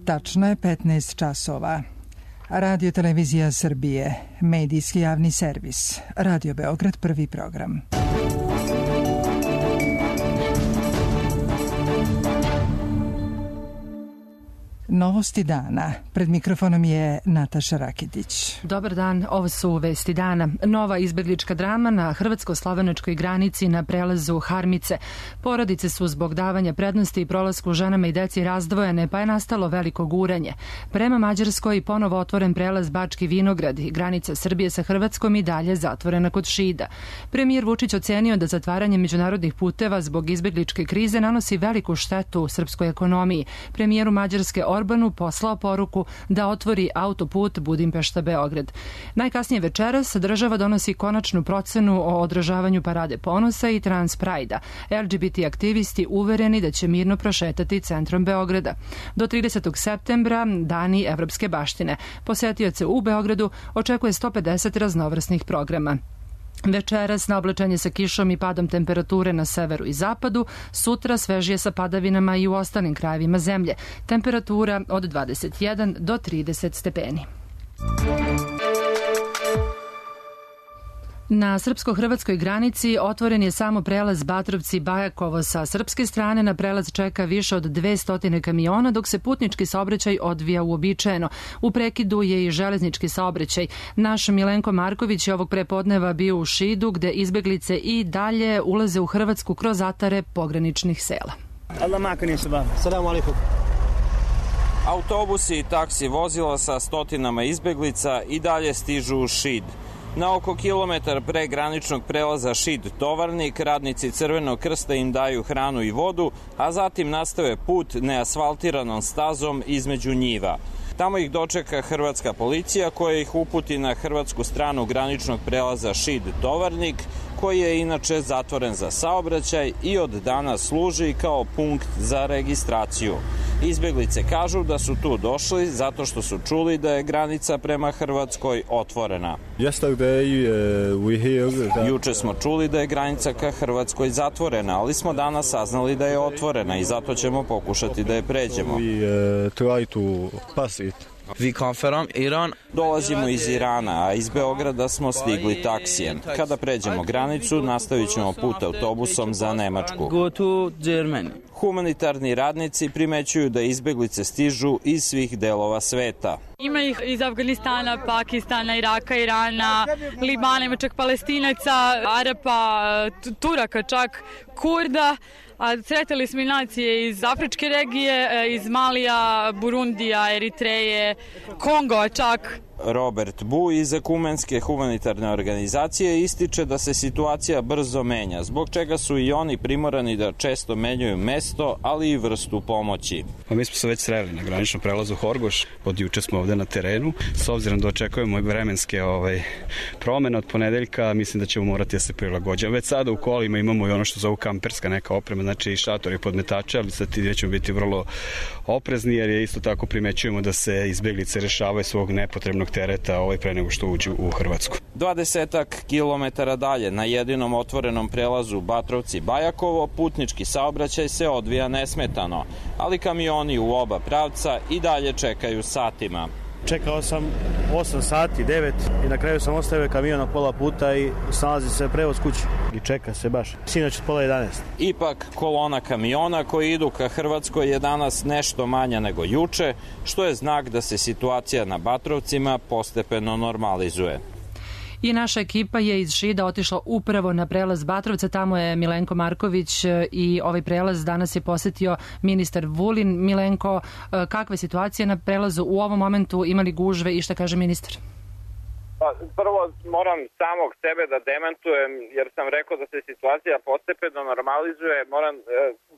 Tačno je 15 časova. Radio Televizija Srbije, medijski javni servis, Radio Beograd, prvi program. Novosti dana. Pred mikrofonom je Nataša Rakitić. Dobar dan, ovo su vesti dana. Nova izbeglička drama na hrvatsko-slovenačkoj granici na prelazu Harmice. Porodice su zbog davanja prednosti i prolasku ženama i deci razdvojene, pa je nastalo veliko guranje. Prema Mađarskoj ponovo otvoren prelaz Bački Vinograd i granica Srbije sa Hrvatskom i dalje zatvorena kod Šida. Premijer Vučić ocenio da zatvaranje međunarodnih puteva zbog izbegličke krize nanosi veliku štetu srpskoj ekonomiji. Premijeru Mađarske Orbanu poslao poruku da otvori autoput Budimpešta-Beograd. Najkasnije večeras država donosi konačnu procenu o održavanju Parade ponosa i Trans Prajda. LGBT aktivisti uvereni da će mirno prošetati centrom Beograda. Do 30. septembra dani evropske baštine. Posetioce u Beogradu očekuje 150 raznovrsnih programa. Večeras na oblačenje sa kišom i padom temperature na severu i zapadu, sutra svežije sa padavinama i u ostalim krajevima zemlje. Temperatura od 21 do 30 stepeni. Na srpsko-hrvatskoj granici otvoren je samo prelaz Batrovci-Bajakovo. Sa srpske strane na prelaz čeka više od 200 kamiona, dok se putnički saobraćaj odvija uobičajeno. U prekidu je i železnički saobraćaj. Naš Milenko Marković je ovog prepodneva bio u Šidu, gde izbeglice i dalje ulaze u Hrvatsku kroz atare pograničnih sela. Autobusi i taksi vozila sa stotinama izbeglica i dalje stižu u Šid. Na oko kilometar pre graničnog prelaza Šid-Tovarnik radnici Crvenog krsta im daju hranu i vodu, a zatim nastave put neasfaltiranom stazom između njiva. Tamo ih dočeka hrvatska policija koja ih uputi na hrvatsku stranu graničnog prelaza Šid-Tovarnik, koji je inače zatvoren za saobraćaj i od danas služi kao punkt za registraciju. Izbeglice kažu da su tu došli zato što su čuli da je granica prema Hrvatskoj otvorena. Juče smo čuli da je granica ka Hrvatskoj zatvorena, ali smo danas saznali da je otvorena i zato ćemo pokušati da je pređemo. Dolazimo iz Irana, a iz Beograda smo stigli taksijem. Kada pređemo granicu, nastavit ćemo put autobusom za Nemačku. Humanitarni radnici primećuju da izbeglice stižu iz svih delova sveta. Ima ih iz Afganistana, Pakistana, Iraka, Irana, Libana, ima čak Palestinaca, Arapa, Turaka čak, Kurda. A sretali smo i nacije iz afričke regije, iz Malija, Burundija, Eritreje, Kongo čak. Robert Bu iz Ekumenske humanitarne organizacije ističe da se situacija brzo menja, zbog čega su i oni primorani da često menjaju mesto, ali i vrstu pomoći. Mi smo se već sreli na graničnom prelazu Horgoš, od juče smo ovde na terenu. S obzirom da očekujemo vremenske promene od ponedeljka, mislim da ćemo morati da se prilagođamo. Već sada u kolima imamo i ono što zovu kamperska neka oprema, znači i šatori, podmetače, ali sad ćemo biti vrlo oprezni, jer je isto tako primećujemo da se izbeglice rešavaju svog nepotrebnog tereta pre nego što uđu u Hrvatsku. 20 kilometara dalje, na jedinom otvorenom prelazu Batrovci-Bajakovo, putnički saobraćaj se odvija nesmetano, ali kamioni u oba pravca i dalje čekaju satima. Čekao sam 8 sati, 9 i na kraju sam ostavio kamion na pola puta i snalazi se prevoz kući. I čeka se baš. Sinoć od pola 11. Ipak, kolona kamiona koji idu ka Hrvatskoj je danas nešto manja nego juče, što je znak da se situacija na Batrovcima postepeno normalizuje. I naša ekipa je iz Šida otišla upravo na prelaz Batrovca, tamo je Milenko Marković i ovaj prelaz danas je posetio ministar Vulin. Milenko, kakva je situacija na prelazu u ovom momentu, imali gužve i šta kaže ministar? Prvo moram samog sebe da demantujem jer sam rekao da se situacija postepeno normalizuje. Moram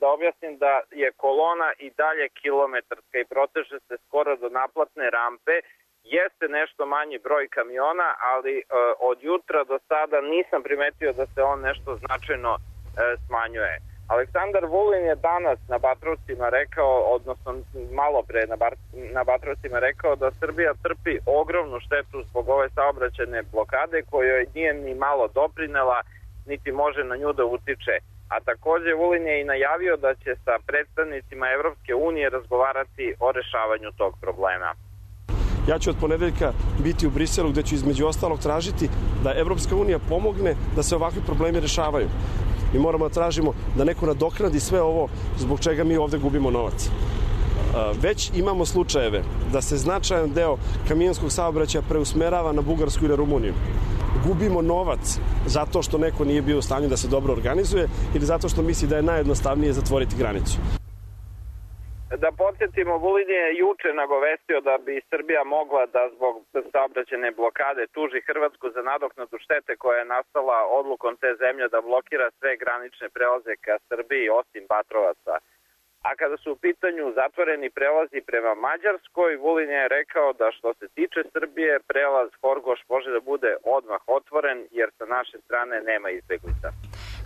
da objasnim da je kolona i dalje kilometarska i proteže se skoro do naplatne rampe. Jeste nešto manji broj kamiona, ali od jutra do sada nisam primetio da se on nešto značajno smanjuje. Aleksandar Vulin je danas na Batrovcima rekao, odnosno malo pre na Batrovcima rekao da Srbija trpi ogromnu štetu zbog ove saobraćajne blokade kojoj nije ni malo doprinela, niti može na nju da utiče. A takođe Vulin je i najavio da će sa predstavnicima Evropske unije razgovarati o rešavanju tog problema. Ja ću od ponedeljka biti u Briselu gde ću između ostalog tražiti da Evropska unija pomogne da se ovakvi problemi rešavaju. Mi moramo da tražimo da neko nadoknadi sve ovo zbog čega mi ovde gubimo novac. Već imamo slučajeve da se značajan deo kamionskog saobraćaja preusmerava na Bugarsku i na Rumuniju. Gubimo novac zato što neko nije bio u stanju da se dobro organizuje ili zato što misli da je najjednostavnije zatvoriti granicu. Da podsjetimo, Vulin je juče nagovestio da bi Srbija mogla da zbog saobraćajne blokade tuži Hrvatsku za nadoknadu štete koja je nastala odlukom te zemlje da blokira sve granične prelaze ka Srbiji osim Batrovaca. A kada su u pitanju zatvoreni prelazi prema Mađarskoj, Vulin je rekao da što se tiče Srbije, prelaz Horgoš može da bude odmah otvoren jer sa naše strane nema izbeglica.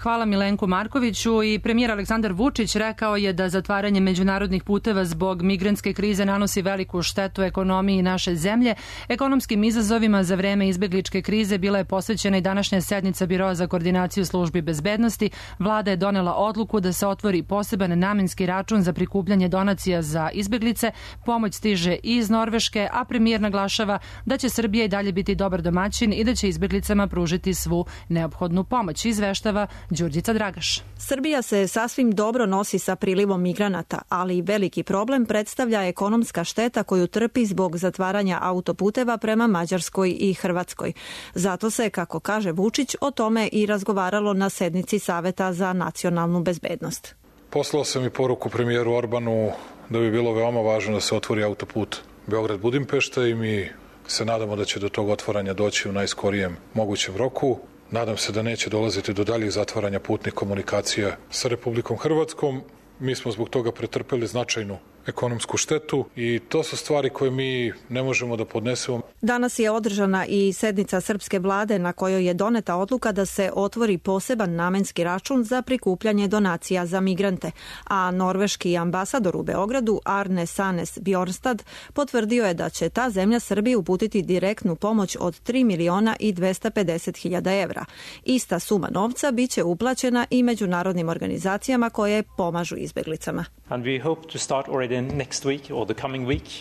Hvala Milenku Markoviću. I premijer Aleksandar Vučić rekao je da zatvaranje međunarodnih puteva zbog migrantske krize nanosi veliku štetu ekonomiji naše zemlje. Ekonomskim izazovima za vreme izbegličke krize bila je posvećena i današnja sednica Biroa za koordinaciju službi bezbednosti. Vlada je donela odluku da se otvori poseban namenski račun za prikupljanje donacija za izbeglice. Pomoć stiže i iz Norveške, a premijer naglašava da će Srbija i dalje biti dobar domaćin i da će izbeglicama pružiti svu neophodnu pomoć. Izveštava Đurđica Dragaš. Srbija se sasvim dobro nosi sa prilivom migranata, ali veliki problem predstavlja ekonomska šteta koju trpi zbog zatvaranja autoputeva prema Mađarskoj i Hrvatskoj. Zato se, kako kaže Vučić, o tome i razgovaralo na sednici Saveta za nacionalnu bezbednost. Poslao sam i poruku premijeru Orbanu da bi bilo veoma važno da se otvori autoput Beograd-Budimpešta i mi se nadamo da će do tog otvaranja doći u najskorijem mogućem roku. Nadam se da neće dolaziti do daljih zatvaranja putnih komunikacija sa Republikom Hrvatskom. Mi smo zbog toga pretrpeli značajnu ekonomsku štetu i to su stvari koje mi ne možemo da podnesemo. Danas je održana i sednica srpske vlade na kojoj je doneta odluka da se otvori poseban namenski račun za prikupljanje donacija za migrante, a norveški ambasador u Beogradu Arne Sanes Bjornstad potvrdio je da će ta zemlja Srbiji uputiti direktnu pomoć od 3.250.000 evra. Ista suma novca biće uplaćena i međunarodnim organizacijama koje pomažu izbeglicama.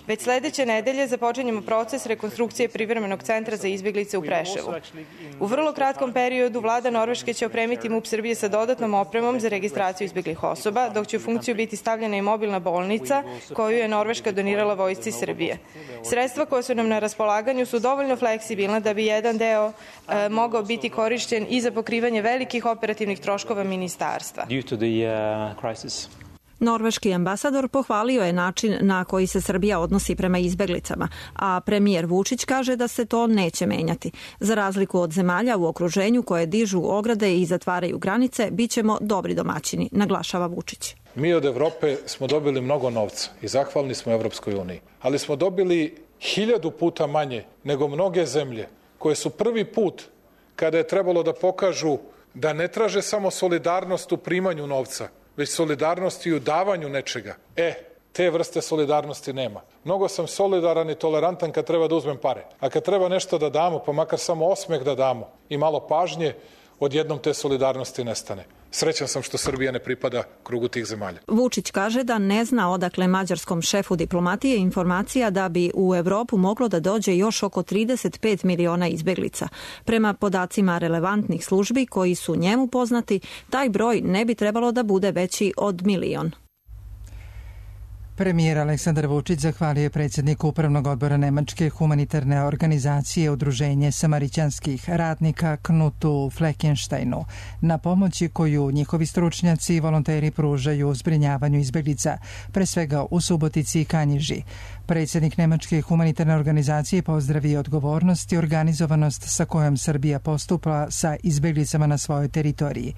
Već sledeće nedelje započinjemo proces rekonstrukcije privremenog centra za izbeglice u Preševu. U vrlo kratkom periodu vlada Norveške će opremiti MUP Srbije sa dodatnom opremom za registraciju izbeglih osoba, dok će u funkciju biti stavljena i mobilna bolnica koju je Norveška donirala vojsci Srbije. Sredstva koja su nam na raspolaganju su dovoljno fleksibilna da bi jedan deo mogao biti korišćen i za pokrivanje velikih operativnih troškova ministarstva. Norveški ambasador pohvalio je način na koji se Srbija odnosi prema izbeglicama, a premijer Vučić kaže da se to neće menjati. Za razliku od zemalja u okruženju koje dižu ograde i zatvaraju granice, bit ćemo dobri domaćini, naglašava Vučić. Mi od Evrope smo dobili mnogo novca i zahvalni smo Evropskoj uniji, ali smo dobili 1000 puta manje nego mnoge zemlje koje su prvi put kada je trebalo da pokažu da ne traže samo solidarnost u primanju novca, već solidarnost i u davanju nečega. Te vrste solidarnosti nema. Mnogo sam solidaran i tolerantan kad treba da uzmem pare. A kad treba nešto da damo, pa makar samo osmeh da damo i malo pažnje, odjednom te solidarnosti nestane. Srećan sam što Srbija ne pripada krugu tih zemalja. Vučić kaže da ne zna odakle mađarskom šefu diplomatije informacija da bi u Evropu moglo da dođe još oko 35 miliona izbeglica. Prema podacima relevantnih službi koji su njemu poznati, taj broj ne bi trebalo da bude veći od 1 milion. Premijer Aleksandar Vučić zahvalio je predsjedniku Upravnog odbora Nemačke humanitarne organizacije Udruženje samarićanskih radnika Knutu Fleckensteinu na pomoći koju njihovi stručnjaci i volonteri pružaju u zbrinjavanju izbeglica, pre svega u Subotici i Kanjiži. Predsjednik Nemačke humanitarne organizacije pozdravio odgovornost i organizovanost sa kojom Srbija postupa sa izbeglicama na svojoj teritoriji.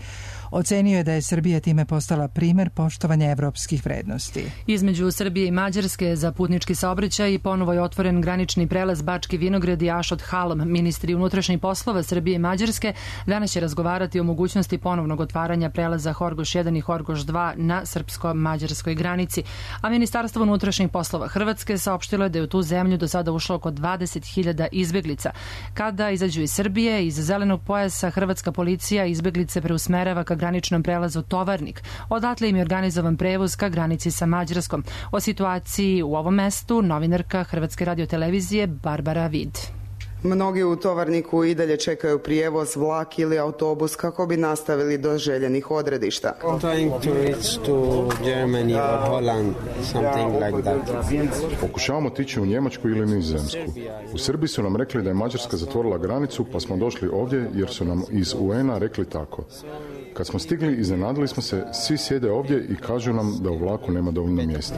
Ocenio je da je Srbija time postala primer poštovanja evropskih vrednosti. Između između Srbije i Mađarske za putnički saobraćaj i ponovo je otvoren granični prelaz Bački Vinograd i Ašot Halom. Ministri unutrašnjih poslova Srbije i Mađarske danas će razgovarati o mogućnosti ponovnog otvaranja prelaza Horgoš 1 i Horgoš 2 na srpsko-mađarskoj granici. A Ministarstvo unutrašnjih poslova Hrvatske saopštilo je da je u tu zemlju do sada ušlo oko 20.000 izbeglica. Kada izađu iz Srbije, iz zelenog pojasa, hrvatska policija izbeglice preusmerava ka graničnom prelazu Tovarnik. Odatle im je organizovan prevoz ka granici sa Mađarskom. O situaciji u ovom mestu novinarka Hrvatske radiotelevizije Barbara Vid. Mnogi u Tovarniku i dalje čekaju prijevoz, vlak ili autobus kako bi nastavili do željenih odredišta. Pokušavamo otići u Njemačku ili Nizozemsku. U Srbiji su nam rekli da je Mađarska zatvorila granicu, pa smo došli ovdje jer su nam iz UN-a rekli tako. Kad smo stigli, iznenadili smo se, svi sjede ovdje i kažu nam da u vlaku nema dovoljno mjesta.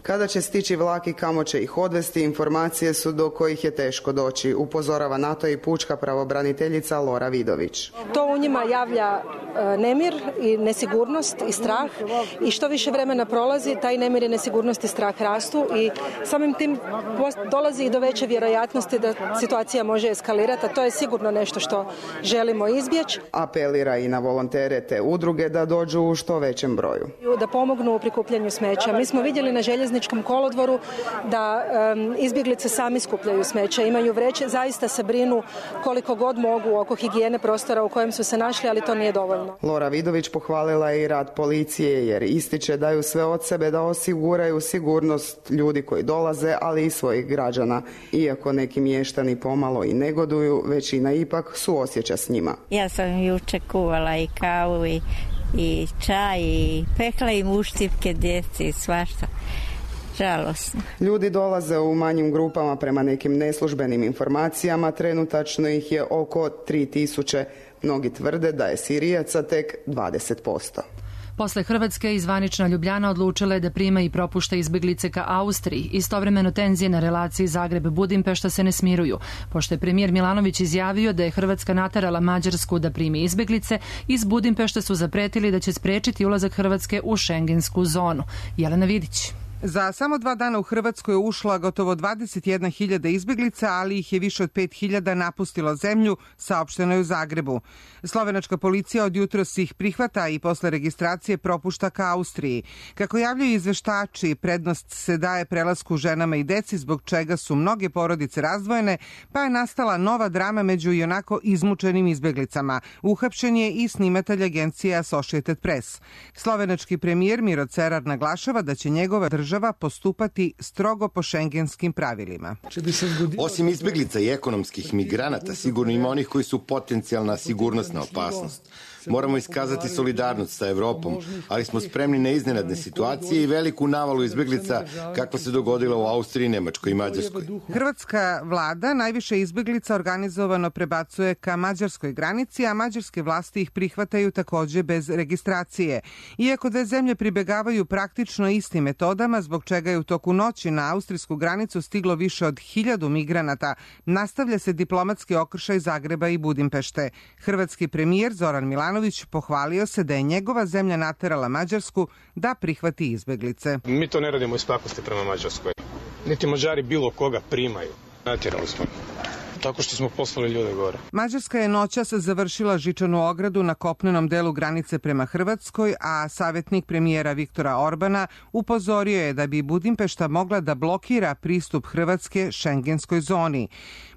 Kada će stići vlak i kamo će ih odvesti, informacije su do kojih je teško doći, upozorava na to i pučka pravobraniteljica Lora Vidović. To u njima javlja nemir i nesigurnost i strah i što više vremena prolazi, taj nemir i nesigurnost i strah rastu i samim tim dolazi i do veće vjerojatnosti da situacija može eskalirati, a to je sigurno nešto što želimo izbjeći. Apelira i na volontere te udruge da dođu u što većem broju. Da pomognu u prikupljanju smeća. Mi smo vidjeli na željezničkom kolodvoru da izbjeglice sami skupljaju smeća, imaju vreće, zaista se brinu koliko god mogu oko higijene prostora u kojem su se našli, ali to nije dovoljno. Lora Vidović pohvalila je i rad policije jer ističe daju sve od sebe da osiguraju sigurnost ljudi koji dolaze, ali i svojih građana. Iako neki mještani pomalo i negoduju, većina ipak suosjeća s njima. Ja sam juče kuvala i kavu i čaj i pekla im uštipke djeci i svašta. Žalosno. Ljudi dolaze u manjim grupama prema nekim neslužbenim informacijama, trenutačno ih je oko 3000. Mnogi tvrde da je Sirijaca tek 20%. Posle Hrvatske zvanična Ljubljana odlučila je da prima i propušta izbeglice ka Austriji. Istovremeno tenzije na relaciji Zagreb-Budimpešta se ne smiruju. Pošto je premijer Milanović izjavio da je Hrvatska naterala Mađarsku da primi izbeglice, iz Budimpešta su zapretili da će sprečiti ulazak Hrvatske u šengensku zonu. Jelena Vidić. Za samo 2 dana u Hrvatsku je ušla gotovo 21.000 izbeglica, ali ih je više od 5.000 napustilo zemlju, saopšteno je u Zagrebu. Slovenačka policija od jutros ih prihvata i posle registracije propušta ka Austriji. Kako javljaju izveštači, prednost se daje prelasku ženama i deci, zbog čega su mnoge porodice razdvojene, pa je nastala nova drama među ionako izmučenim izbeglicama. Uhapšen je i snimatelj agencije Associated Press. Slovenački premijer Miro Cerar naglašava da će njegova država postupati strogo po šengenskim pravilima. Osim izbeglica i ekonomskih migranata, sigurno ima onih koji su potencijalna sigurnosna opasnost. Moramo iskazati solidarnost sa Evropom, ali smo spremni na iznenadne situacije i veliku navalu izbeglica kakva se dogodila u Austriji, Nemačkoj i Mađarskoj. Hrvatska vlada najviše izbeglica organizovano prebacuje ka mađarskoj granici, a mađarske vlasti ih prihvataju takođe bez registracije. Iako dve zemlje pribegavaju praktično istim metodama, zbog čega je u toku noći na austrijsku granicu stiglo više od 1000 migranata, nastavlja se diplomatski okršaj Zagreba i Budimpešte. Hrvatski premijer Zoran Milanović pohvalio se da je njegova zemlja naterala Mađarsku da prihvati izbeglice. Mi to ne radimo iz pakosti prema Mađarskoj. Niti Mađari bilo koga primaju. Natjerali smo. Tako što smo poslali ljude gore. Mađarska je noćas završila žičanu ogradu na kopnenom delu granice prema Hrvatskoj, a savjetnik premijera Viktora Orbana upozorio je da bi Budimpešta mogla da blokira pristup Hrvatske šengenskoj zoni.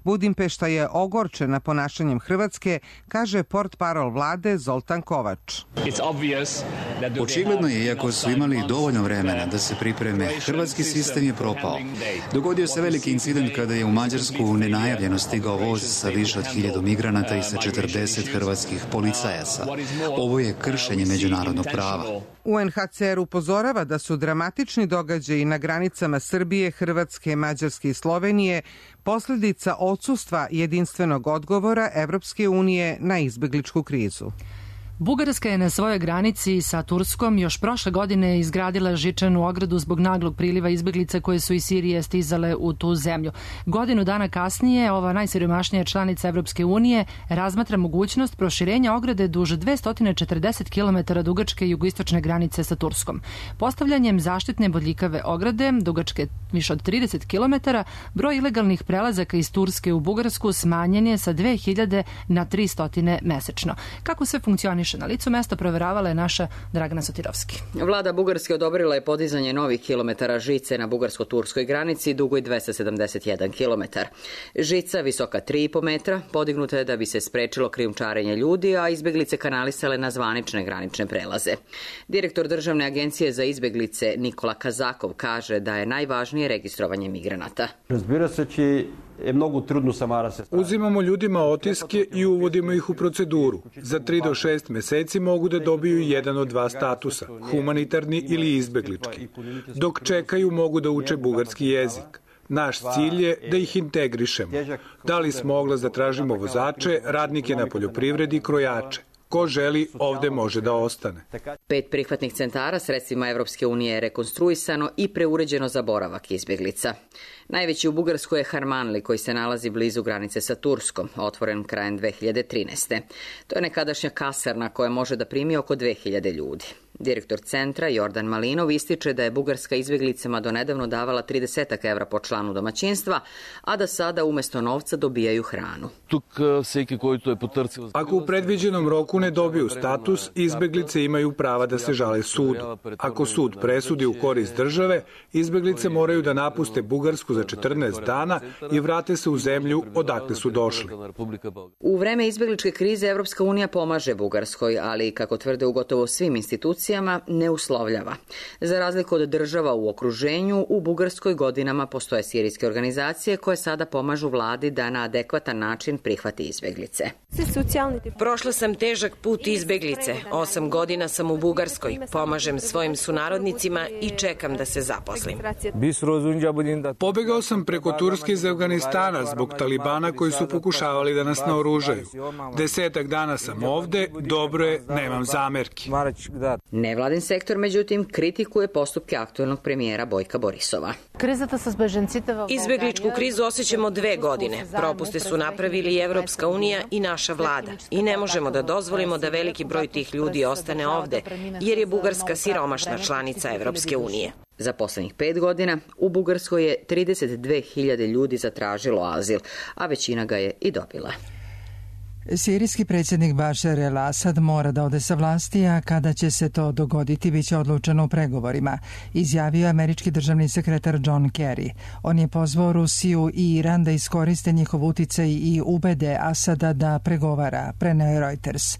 Budimpešta je ogorčena ponašanjem Hrvatske, kaže portparol vlade Zoltan Kovač. Očigledno je, iako su imali dovoljno vremena da se pripreme, hrvatski sistem je propao. Dogodio se veliki incident kada je u Mađarsku nenajavljeno stigao voz sa više od 1000 migranata i sa 40 hrvatskih policajaca. Ovo je kršenje međunarodnog prava. UNHCR upozorava da su dramatični događaji na granicama Srbije, Hrvatske, Mađarske i Slovenije posljedica odsustva jedinstvenog odgovora Evropske unije na izbegličku krizu. Bugarska je na svojoj granici sa Turskom još prošle godine izgradila žičanu ogradu zbog naglog priliva izbeglica koje su iz Sirije stizale u tu zemlju. Godinu dana kasnije ova najsiromašnija članica Evropske unije razmatra mogućnost proširenja ograde duž 240 km dugačke jugoistočne granice sa Turskom. Postavljanjem zaštitne bodljikave ograde, dugačke više od 30 km, broj ilegalnih prelazaka iz Turske u Bugarsku smanjen je sa 2000 na 300 mesečno. Kako se funkcioniše na licu mesta proveravala je naša Dragana Sotirovski. Vlada Bugarske odobrila je podizanje novih kilometara žice na bugarsko-turskoj granici dugoj 271 km. Žica visoka 3,5 metra podignuta je da bi se sprečilo krijumčarenje ljudi, a izbeglice kanalisale na zvanične granične prelaze. Direktor Državne agencije za izbeglice Nikola Kazakov kaže da je najvažnije registrovanje migranata. Uzimamo ljudima otiske i uvodimo ih u proceduru. Za 3 do 6 meseci mogu da dobiju jedan od dva statusa, humanitarni ili izbeglički. Dok čekaju mogu da uče bugarski jezik. Naš cilj je da ih integrišemo. Dali smo oglas da tražimo vozače, radnike na poljoprivredi i krojače. Ko želi, ovde može da ostane. 5 prihvatnih centara sredstvima Evropske unije je rekonstruisano i preuređeno za boravak izbjeglica. Najveći u Bugarskoj je Harmanli, koji se nalazi blizu granice sa Turskom, otvoren krajem 2013. To je nekadašnja kasarna koja može da primi oko 2000 ljudi. Direktor centra Jordan Malinov ističe da je Bugarska izbjeglicama donedavno davala 30 evra po članu domaćinstva, a da sada umesto novca dobijaju hranu. Ako u predviđenom roku ne dobiju status, izbjeglice imaju prava da se žale sudu. Ako sud presudi u korist države, izbjeglice moraju da napuste Bugarsku za 14 dana i vrate se u zemlju odakle su došli. U vreme izbjegličke krize Evropska unija pomaže Bugarskoj, ali, kako tvrde u gotovo svim institucijama, ne uslovljava. Za razliku od država u okruženju, u Bugarskoj godinama postoje sirijske organizacije koje sada pomažu vladi da na adekvatan način prihvati izbjeglice. Prošla sam težak put izbjeglice. 8 godina sam u Bugarskoj. Pomažem svojim sunarodnicima i čekam da se zaposlim. Pobegao sam preko Turske iz Afganistana zbog Talibana koji su pokušavali da nas naoružaju. 10 dana sam ovde, dobro je, nemam zamerki. Nevladin sektor, međutim, kritikuje postupke aktuelnog premijera Bojka Borisova. Izbjegličku krizu osjećamo 2 godine. Propuste su napravili i Evropska unija i naša vlada. I ne možemo da dozvolimo da veliki broj tih ljudi ostane ovde, jer je Bugarska siromašna članica Evropske unije. Za poslednjih 5 godina u Bugarskoj je 32.000 ljudi zatražilo azil, a većina ga je i dobila. Sirijski predsjednik Bašar el-Asad mora da ode sa vlasti, a kada će se to dogoditi biće odlučeno u pregovorima, izjavio je američki državni sekretar John Kerry. On je pozvao Rusiju i Iran da iskoriste njihov uticaj i ubede Asada da pregovara, preneo je Reuters.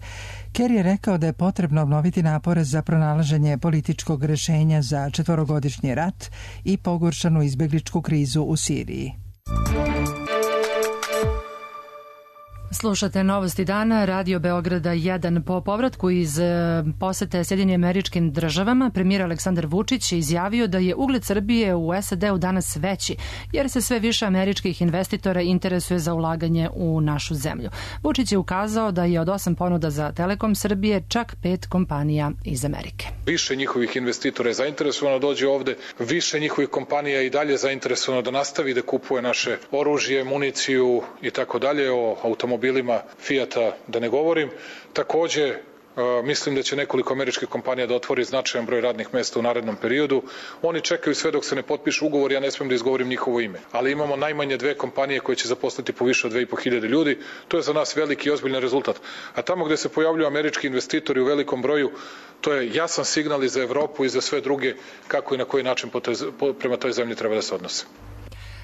Kerry je rekao da je potrebno obnoviti napore za pronalaženje političkog rešenja za 4-godišnji rat i pogoršanu izbegličku krizu u Siriji. Slušate Novosti dana, Radio Beograda 1. Po povratku iz posete Sjedinjenim Američkim Državama, premijer Aleksandar Vučić je izjavio da je ugled Srbije u SAD-u danas veći, jer se sve više američkih investitora interesuje za ulaganje u našu zemlju. Vučić je ukazao da je od 8 ponuda za Telekom Srbije čak 5 kompanija iz Amerike. Više njihovih investitora je zainteresovano dođe ovde, više njihovih kompanija i dalje zainteresovano da nastavi da kupuje naše oružje, municiju i tako dalje, o automobilima Fijata da ne govorim. Takođe, mislim da će nekoliko američkih kompanija da otvori značajan broj radnih mesta u narednom periodu. Oni čekaju sve dok se ne potpišu ugovor, ja ne smijem da izgovorim njihovo ime. Ali imamo najmanje 2 kompanije koje će zaposliti po više od 2.500 ljudi. To je za nas veliki i ozbiljan rezultat. A tamo gde se pojavljuju američki investitori u velikom broju, to je jasan signal i za Evropu i za sve druge kako i na koji način prema toj zemlji treba da se odnose.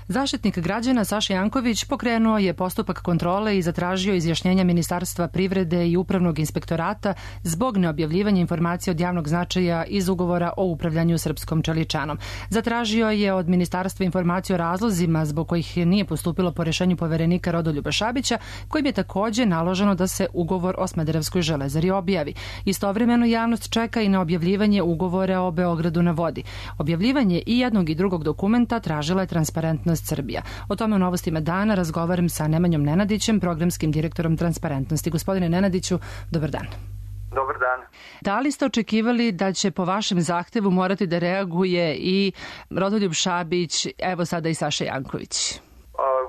Zaštitnik građana Saša Janković pokrenuo je postupak kontrole i zatražio izjašnjenja Ministarstva privrede i Upravnog inspektorata zbog neobjavljivanja informacija od javnog značaja iz ugovora o upravljanju srpskom čeličanom. Zatražio je od Ministarstva informaciju o razlozima zbog kojih nije postupilo po rešenju poverenika Rodoljuba Šabića, kojim je takođe naloženo da se ugovor o Smederevskoj železari objavi. Istovremeno javnost čeka i na objavljivanje ugovora o Beogradu na vodi. Objavljivanje i jednog i drugog dokumenta tražila je Transparentnost Srbija. O tome u Novostima dana razgovaram sa Nemanjom Nenadićem, programskim direktorom Transparentnosti. Gospodine Nenadiću, dobar dan. Dobar dan. Da li ste očekivali da će po vašem zahtevu morati da reaguje i Rodoljub Šabić, evo sada i Saša Janković?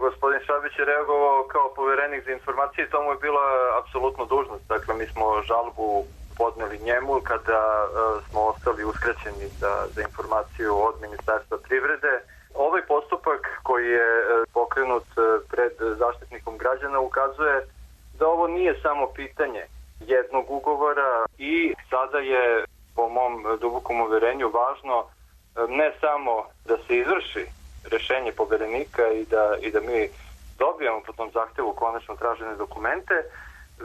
Gospodin Šabić je reagovao kao poverenik za informacije i to mu je bila apsolutno dužnost. Dakle, mi smo žalbu podneli njemu kada smo ostali uskraćeni za informaciju od Ministarstva privrede. Ovaj postupak koji je pokrenut pred Zaštitnikom građana ukazuje da ovo nije samo pitanje jednog ugovora i sada je, po mom dubokom uverenju, važno ne samo da se izvrši rešenje poverenika i da mi dobijemo po tom zahtevu konačno tražene dokumente,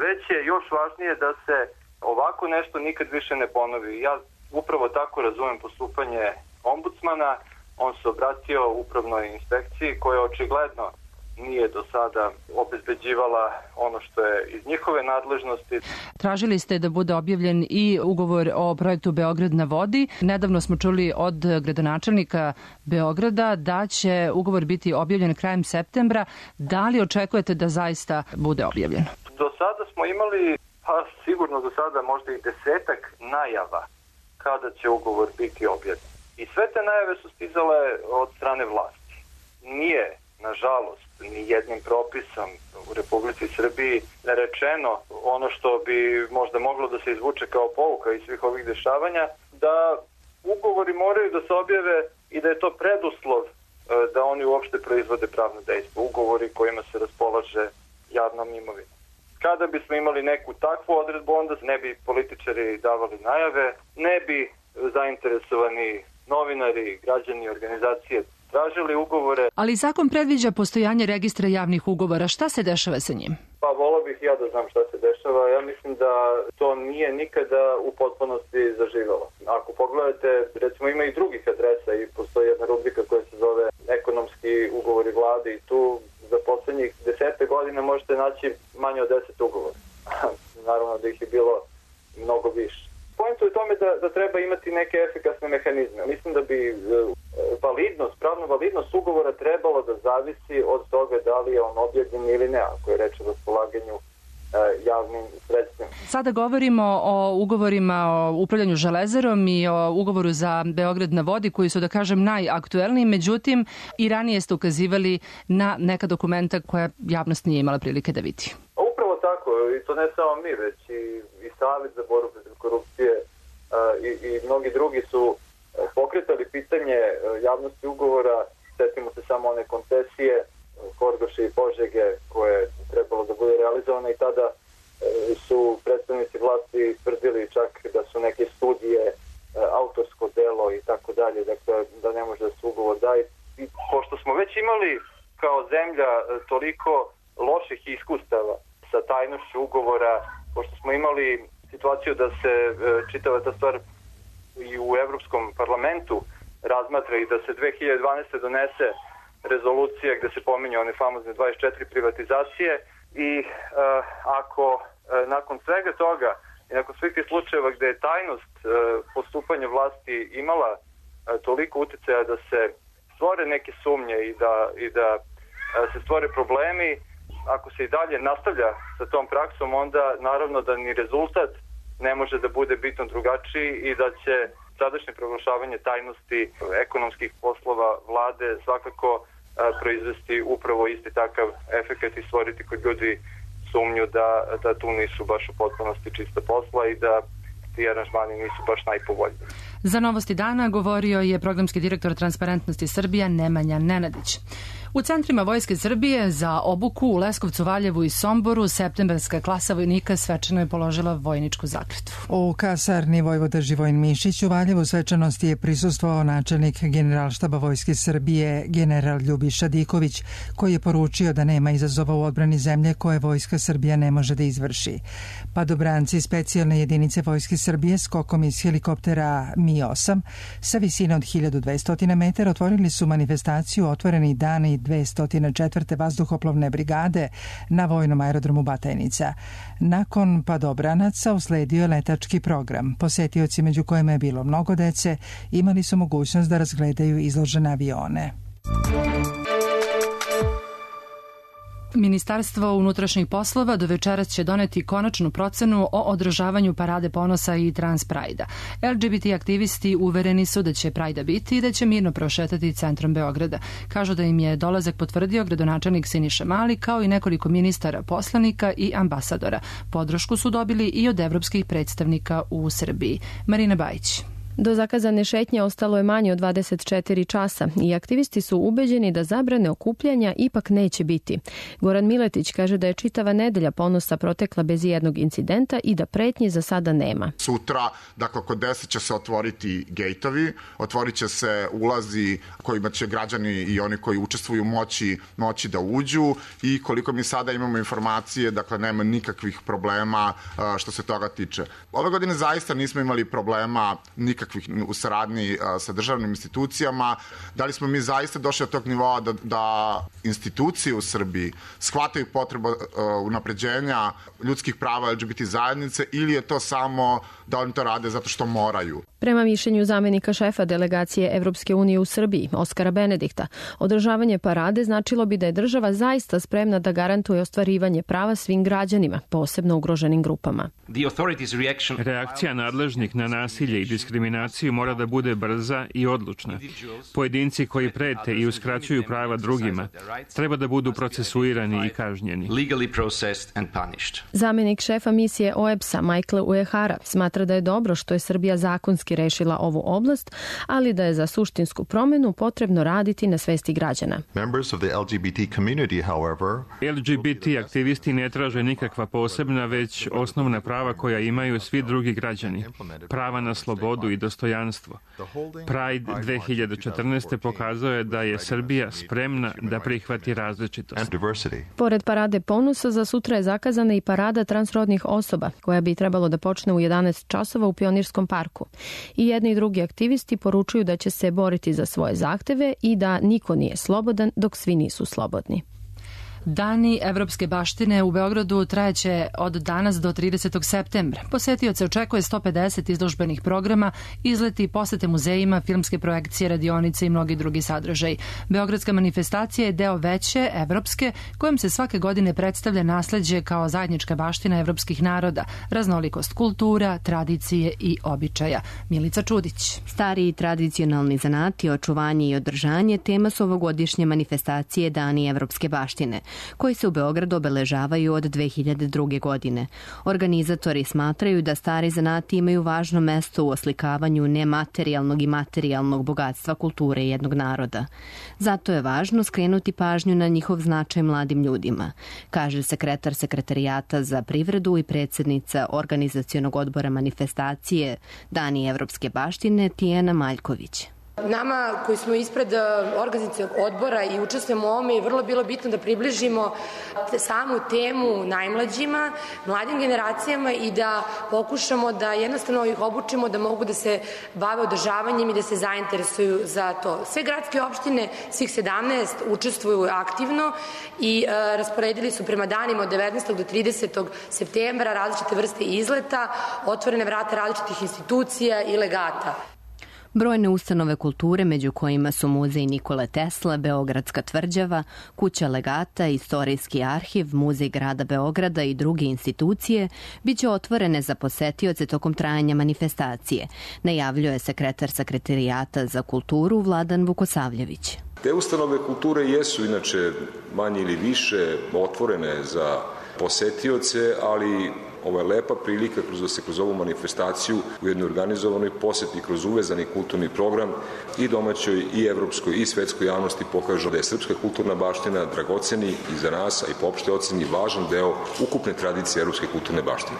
već je još važnije da se ovako nešto nikad više ne ponovi. Ja upravo tako razumem postupanje ombudsmana. On se obratio upravnoj inspekciji koja očigledno nije do sada obezbeđivala ono što je iz njihove nadležnosti. Tražili ste da bude objavljen i ugovor o projektu Beograd na vodi. Nedavno smo čuli od gradonačelnika Beograda da će ugovor biti objavljen krajem septembra. Da li očekujete da zaista bude objavljen? Do sada smo imali, pa sigurno do sada možda i 10 najava kada će ugovor biti objavljen. I sve te najave su stizale od strane vlasti. Nije, nažalost, ni jednim propisom u Republici Srbiji rečeno ono što bi možda moglo da se izvuče kao pouka iz svih ovih dešavanja, da ugovori moraju da se objave i da je to preduslov da oni uopšte proizvode pravno dejstvo. Ugovori kojima se raspolaže javnom imovinom. Kada bismo imali neku takvu odredbu, onda ne bi političari davali najave, ne bi zainteresovani novinari, građani, organizacije tražili ugovore. Ali zakon predviđa postojanje registra javnih ugovora. Šta se dešava sa njim? Pa volao bih ja da znam šta se dešava. Ja mislim da to nije nikada u potpunosti zaživalo. Ako pogledate, recimo ima i drugih adresa i postoji jedna rubrika koja se zove ekonomski ugovori vlade i tu za poslednjih 10 godina možete naći manje od 10 ugovora. Naravno da ih je bilo mnogo više. Poenta je u tome da treba imati neke efikasne mehanizme. Mislim da bi pravna validnost ugovora trebalo da zavisi od toga da li je on objavljen ili ne, ako je reč o raspolaganju javnim sredstvima. Sada govorimo o ugovorima o upravljanju železarom i o ugovoru za Beograd na vodi koji su, da kažem, najaktuelniji, međutim i ranije ste ukazivali na neka dokumenta koja javnost nije imala prilike da vidi. Upravo tako, i to ne samo mi, već i Savjet za borbu protiv korupcije i mnogi drugi su pokretali pitanje javnosti ugovora. Setimo se samo one koncesije Horgoša i Požege koje je trebalo da bude realizovane i tada su predstavnici vlasti tvrdili čak da su neke studije autorsko delo i tako dalje, dakle da ne može da se ugovor daje. I pošto smo već imali kao zemlja toliko loših iskustava sa tajnošću ugovora, pošto smo imali situaciju da se čitava ta stvar i u Evropskom parlamentu razmatra i da se 2012. donese rezolucija gde se pominje one famozne 24 privatizacije i ako nakon svega toga i nakon svih tih slučajeva gde je tajnost postupanja vlasti imala toliko uticaja da se stvore neke sumnje i da se stvore problemi, ako se i dalje nastavlja sa tom praksom, onda naravno da ni rezultat ne može da bude bitno drugačiji i da će sadašnje proglašavanje tajnosti ekonomskih poslova vlade svakako proizvesti upravo isti takav efekat i stvoriti kod ljudi sumnju da tu nisu baš u potpunosti čista posla i da ti aranžmani nisu baš najpovoljniji. Za Novosti dana govorio je programski direktor Transparentnosti Srbija Nemanja Nenadić. U centrima Vojske Srbije za obuku u Leskovcu, Valjevu i Somboru septembarska klasa vojnika svečano je položila vojničku zakletvu. U kasarni Vojvoda Živojin Mišić u Valjevu svečanosti je prisustvovao načelnik Generalštaba Vojske Srbije general Ljubiša Diković, koji je poručio da nema izazova u odbrani zemlje koje Vojska Srbija ne može da izvrši. Padobranci specijalne jedinice Vojske Srbije skokom iz helikoptera Mi-8 sa visine od 1200 metara otvorili su manifestaciju Otvoreni dani 204. vazduhoplovne brigade na vojnom aerodromu Batajnica. Nakon padobranaca usledio je letački program. Posetioci, među kojima je bilo mnogo dece, imali su mogućnost da razgledaju izložene avione. Ministarstvo unutrašnjih poslova do večeras će doneti konačnu procenu o održavanju Parade ponosa i Trans Prajda. LGBT aktivisti uvereni su da će Prajda biti i da će mirno prošetati centrom Beograda. Kažu da im je dolazak potvrdio gradonačelnik Siniša Mali kao i nekoliko ministara, poslanika i ambasadora. Podršku su dobili i od evropskih predstavnika u Srbiji. Marina Bajić. Do zakazane šetnje ostalo je manje od 24 časa i aktivisti su ubeđeni da zabrane okupljanja ipak neće biti. Goran Miletić kaže da je čitava nedelja ponosa protekla bez jednog incidenta i da pretnje za sada nema. Sutra, dakle, oko 10 će se otvoriti gejtovi, otvorit će se ulazi kojima će građani i oni koji učestvuju moći da uđu i koliko mi sada imamo informacije, dakle, nema nikakvih problema što se toga tiče. Ove godine zaista nismo imali problema nikakvih u saradnji sa državnim institucijama. Da li smo mi zaista došli do tog nivoa da institucije u Srbiji shvataju potrebu unapređenja ljudskih prava LGBT zajednice ili je to samo da oni to rade zato što moraju? Prema mišljenju zamenika šefa delegacije Evropske unije u Srbiji, Oskara Benedikta, održavanje parade značilo bi da je država zaista spremna da garantuje ostvarivanje prava svim građanima, posebno ugroženim grupama. Reakcija nadležnih na nasilje i diskriminaciju mora da bude brza i odlučna. Pojedinci koji prete i uskraćuju prava drugima treba da budu procesuirani i kažnjeni. Zamenik šefa misije OEBS-a Michael Uehara smatra da je dobro što je Srbija zakonski rešila ovu oblast, ali da je za suštinsku promenu potrebno raditi na svesti građana. LGBT aktivisti ne traže nikakva posebna, već osnovna prava koja imaju svi drugi građani. Prava na slobodu i dostojanstvo. Pride 2014. pokazao je da je Srbija spremna da prihvati različitost. Pored Parade ponosa, za sutra je zakazana i Parada transrodnih osoba, koja bi trebalo da počne u 11 časova u Pionirskom parku. I jedni i drugi aktivisti poručuju da će se boriti za svoje zahteve i da niko nije slobodan dok svi nisu slobodni. Dani evropske baštine u Beogradu trajeće od danas do 30. septembra. Posetioce očekuje 150 izložbenih programa, izleti, posete muzejima, filmske projekcije, radionice i mnogi drugi sadržaj. Beogradska manifestacija je deo veće, evropske, kojom se svake godine predstavlja nasleđe kao zajednička baština evropskih naroda, raznolikost kultura, tradicije i običaja. Milica Čudić. Stari i tradicionalni zanati, očuvanje i održanje tema su ovogodišnje manifestacije Dani evropske baštine, koji se u Beogradu obeležavaju od 2002. godine. Organizatori smatraju da stari zanati imaju važno mesto u oslikavanju nematerijalnog i materijalnog bogatstva kulture jednog naroda. Zato je važno skrenuti pažnju na njihov značaj mladim ljudima, kaže sekretar Sekretarijata za privredu i predsjednica organizacionog odbora manifestacije Dani evropske baštine Tijana Maljković. Nama koji smo ispred organizacionog odbora i učestvujemo u ovome je vrlo bilo bitno da približimo samu temu najmlađima, mladim generacijama i da pokušamo da jednostavno ih obučimo da mogu da se bave održavanjem i da se zainteresuju za to. Sve gradske opštine, svih 17, učestvuju aktivno i rasporedili su prema danima od 19. do 30. septembra različite vrste izleta, otvorene vrata različitih institucija i legata. Brojne ustanove kulture, među kojima su Muzej Nikole Tesla, Beogradska tvrđava, Kuća legata, Istorijski arhiv, Muzej grada Beograda i druge institucije, biće otvorene za posetioce tokom trajanja manifestacije, najavljuje sekretar Sekretarijata za kulturu Vladan Vukosavljević. Te ustanove kulture jesu inače manje ili više otvorene za posetioce, ali ovo je lepa prilika da se kroz ovu manifestaciju u jednoj organizovanoj poseti kroz uvezani kulturni program i domaćoj i evropskoj i svetskoj javnosti pokažu da je srpska kulturna baština dragoceni i za nas, a i po opšte oceni važan deo ukupne tradicije evropske kulturne baštine.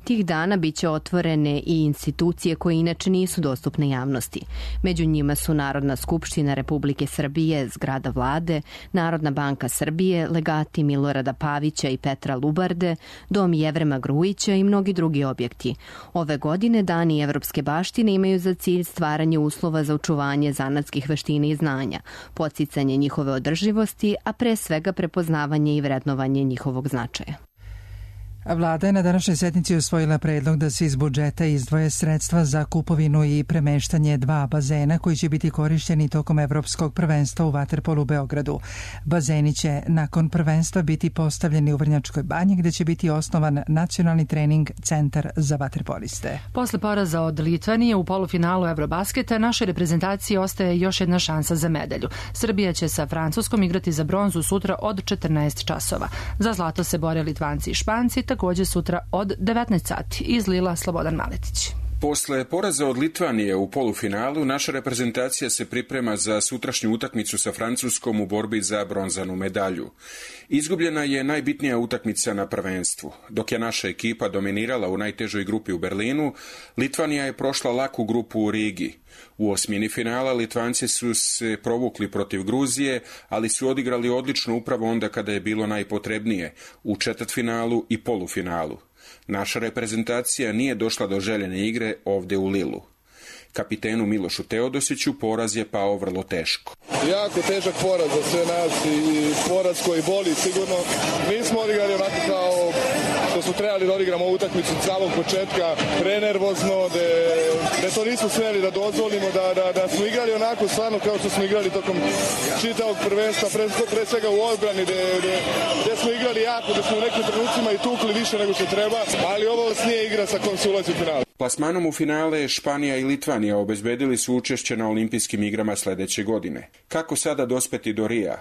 Tih dana biće otvorene i institucije koje inače nisu dostupne javnosti. Među njima su Narodna skupština Republike Srbije, zgrada vlade, Narodna banka Srbije, legati Milorada Pavića i Petra Lubarde, Dom Jevrema Grujića i mnogi drugi objekti. Ove godine Dani evropske baštine imaju za cilj stvaranje uslova za očuvanje zanatskih veština i znanja, podsticanje njihove održivosti, a pre svega prepoznavanje i vrednovanje njihovog značaja. Vlada je na današnjoj sednici usvojila predlog da se iz budžeta izdvoje sredstva za kupovinu i premeštanje 2 bazena koji će biti korišćeni tokom Evropskog prvenstva u vaterpolu u Beogradu. Bazeni će nakon prvenstva biti postavljeni u Vrnjačkoj banji gde će biti osnovan nacionalni trening centar za vaterpoliste. Posle poraza od Litvanije u polufinalu Eurobasketa našoj reprezentaciji ostaje još jedna šansa za medalju. Srbija će sa Francuskom igrati za bronzu sutra od 14 časova. Za zlato se bore Litvanci i Španci, takođe sutra od 19 sati. Iz Lila Slobodan Maletić. Posle poraza od Litvanije u polufinalu, naša reprezentacija se priprema za sutrašnju utakmicu sa Francuskom u borbi za bronzanu medalju. Izgubljena je najbitnija utakmica na prvenstvu. Dok je naša ekipa dominirala u najtežoj grupi u Berlinu, Litvanija je prošla laku grupu u Rigi. U osmini finala Litvanci su se provukli protiv Gruzije, ali su odigrali odlično upravo onda kada je bilo najpotrebnije, u četvrtfinalu i polufinalu. Naša reprezentacija nije došla do željene igre ovde u Lilu. Kapitenu Milošu Teodosiću poraz je pao vrlo teško. Jako težak poraz za sve nas i poraz koji boli sigurno. Mi smo odigrali onako kao što smo trebali da odigramo ovu utakmicu od samog početka, prenervozno, da to nismo smeli da dozvolimo, da smo igrali onako stvarno kao što smo igrali tokom čitavog prvenstva, pre svega u odbrani, gde smo igrali jako, da smo u nekim trenucima i tukli više nego što treba, ali ovo nije igra sa kojom se ulazi u finale. Plasmanom u finale Španija i Litvanija obezbedili su učešće na olimpijskim igrama sledeće godine. Kako sada dospeti do Rija?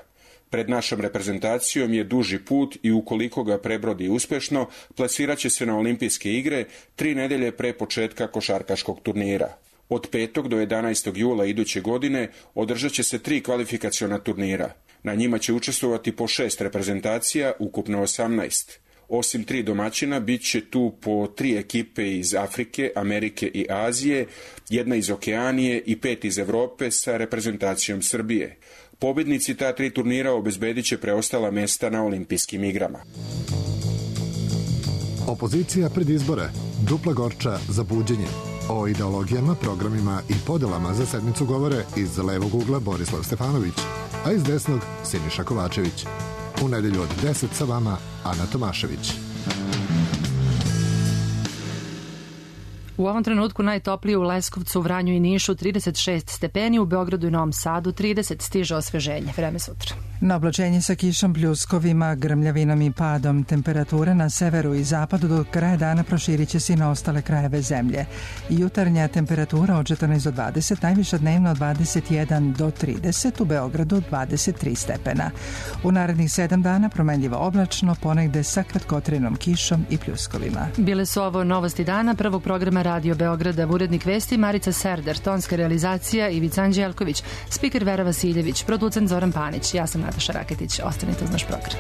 Pred našom reprezentacijom je duži put i ukoliko ga prebrodi uspešno, plasiraće se na olimpijske igre 3 nedelje pre početka košarkaškog turnira. Od 5. do 11. jula iduće godine održat će se 3 kvalifikaciona turnira. Na njima će učestvovati po 6 reprezentacija, ukupno 18. Osim 3 domaćina, bit će tu po 3 ekipe iz Afrike, Amerike i Azije, 1 iz Okeanije i 5 iz Evrope sa reprezentacijom Srbije. Pobednici ta 3 turnira obezbedit će preostala mesta na olimpijskim igrama. Opozicija pred izbore, dupla gorča za buđenje. O ideologijama, programima i podelama za sedmicu govore iz levog ugla Borislav Stefanović, a iz desnog Siniša Kovačević. U nedelju od 10 sa vama Ana Tomašević. U ovom trenutku najtoplije u Leskovcu, Vranju i Nišu 36 stepeni, u Beogradu i Novom Sadu 30, stiže osveženje. Vreme sutra. Na oblačenje sa kišom, pljuskovima, grmljavinom i padom temperature na severu i zapadu do kraja dana proširit će se i na ostale krajeve zemlje. Jutarnja temperatura od 14 do 20, najviša dnevno od 21 do 30, u Beogradu 23 stepena. U narednih 7 dana promenljivo oblačno, ponegde sa kratkotrenom kišom i pljuskovima. Bile su ovo novosti dana prvog programa Radio Beograda, urednik vesti Marica Serder, tonska realizacija Ivica Anđelković, spiker Vera Vasiljević, producent Zoran Panić. Ja sam Nataša Raketić. Ostanite uz naš program.